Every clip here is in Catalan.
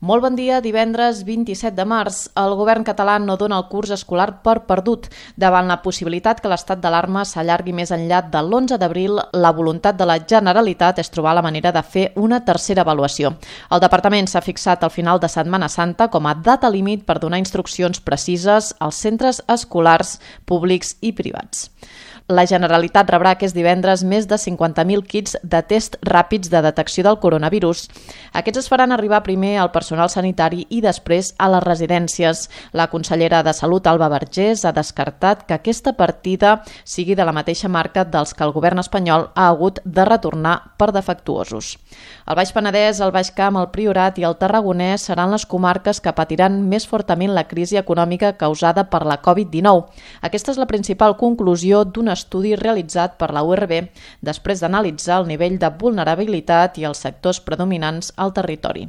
Molt bon dia, divendres 27 de març. El govern català no dona el curs escolar per perdut. Davant la possibilitat que l'estat d'alarma s'allargui més enllà de l'11 d'abril, la voluntat de la Generalitat és trobar la manera de fer una tercera avaluació. El departament s'ha fixat al final de Setmana Santa com a data límit per donar instruccions precises als centres escolars públics i privats. La Generalitat rebrà aquest divendres més de 50.000 kits de test ràpids de detecció del coronavirus. Aquests es faran arribar primer al personal sanitari i després a les residències. La consellera de Salut, Alba Vergés, ha descartat que aquesta partida sigui de la mateixa marca dels que el govern espanyol ha hagut de retornar per defectuosos. El Baix Penedès, el Baix Camp, el Priorat i el Tarragonès seran les comarques que patiran més fortament la crisi econòmica causada per la Covid-19. Aquesta és la principal conclusió d'un estudi realitzat per la URB després d'analitzar el nivell de vulnerabilitat i els sectors predominants al territori.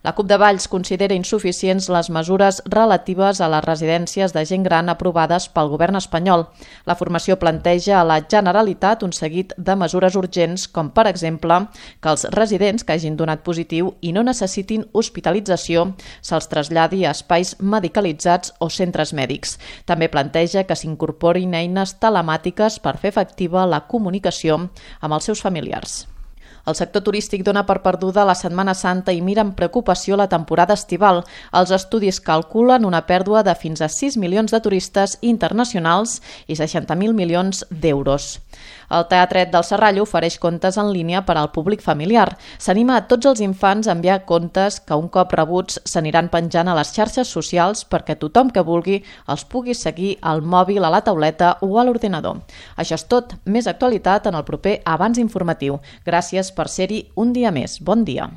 La CUP de Valls considera insuficients les mesures relatives a les residències de gent gran aprovades pel govern espanyol. La formació planteja a la Generalitat un seguit de mesures urgents, com per exemple que els residents que hagin donat positiu i no necessitin hospitalització se'ls traslladi a espais medicalitzats o centres mèdics. També planteja que s'incorporin eines telemàtiques per fer efectiva la comunicació amb els seus familiars. El sector turístic dona per perduda la Setmana Santa i mira amb preocupació la temporada estival. Els estudis calculen una pèrdua de fins a 6 milions de turistes internacionals i 60.000 milions d'euros. El Teatret del Serrallo ofereix contes en línia per al públic familiar. S'anima a tots els infants a enviar contes que un cop rebuts s'aniran penjant a les xarxes socials perquè tothom que vulgui els pugui seguir al mòbil, a la tauleta o a l'ordinador. Això és tot. Més actualitat en el proper Abans Informatiu. Gràcies per ser-hi un dia més. Bon dia.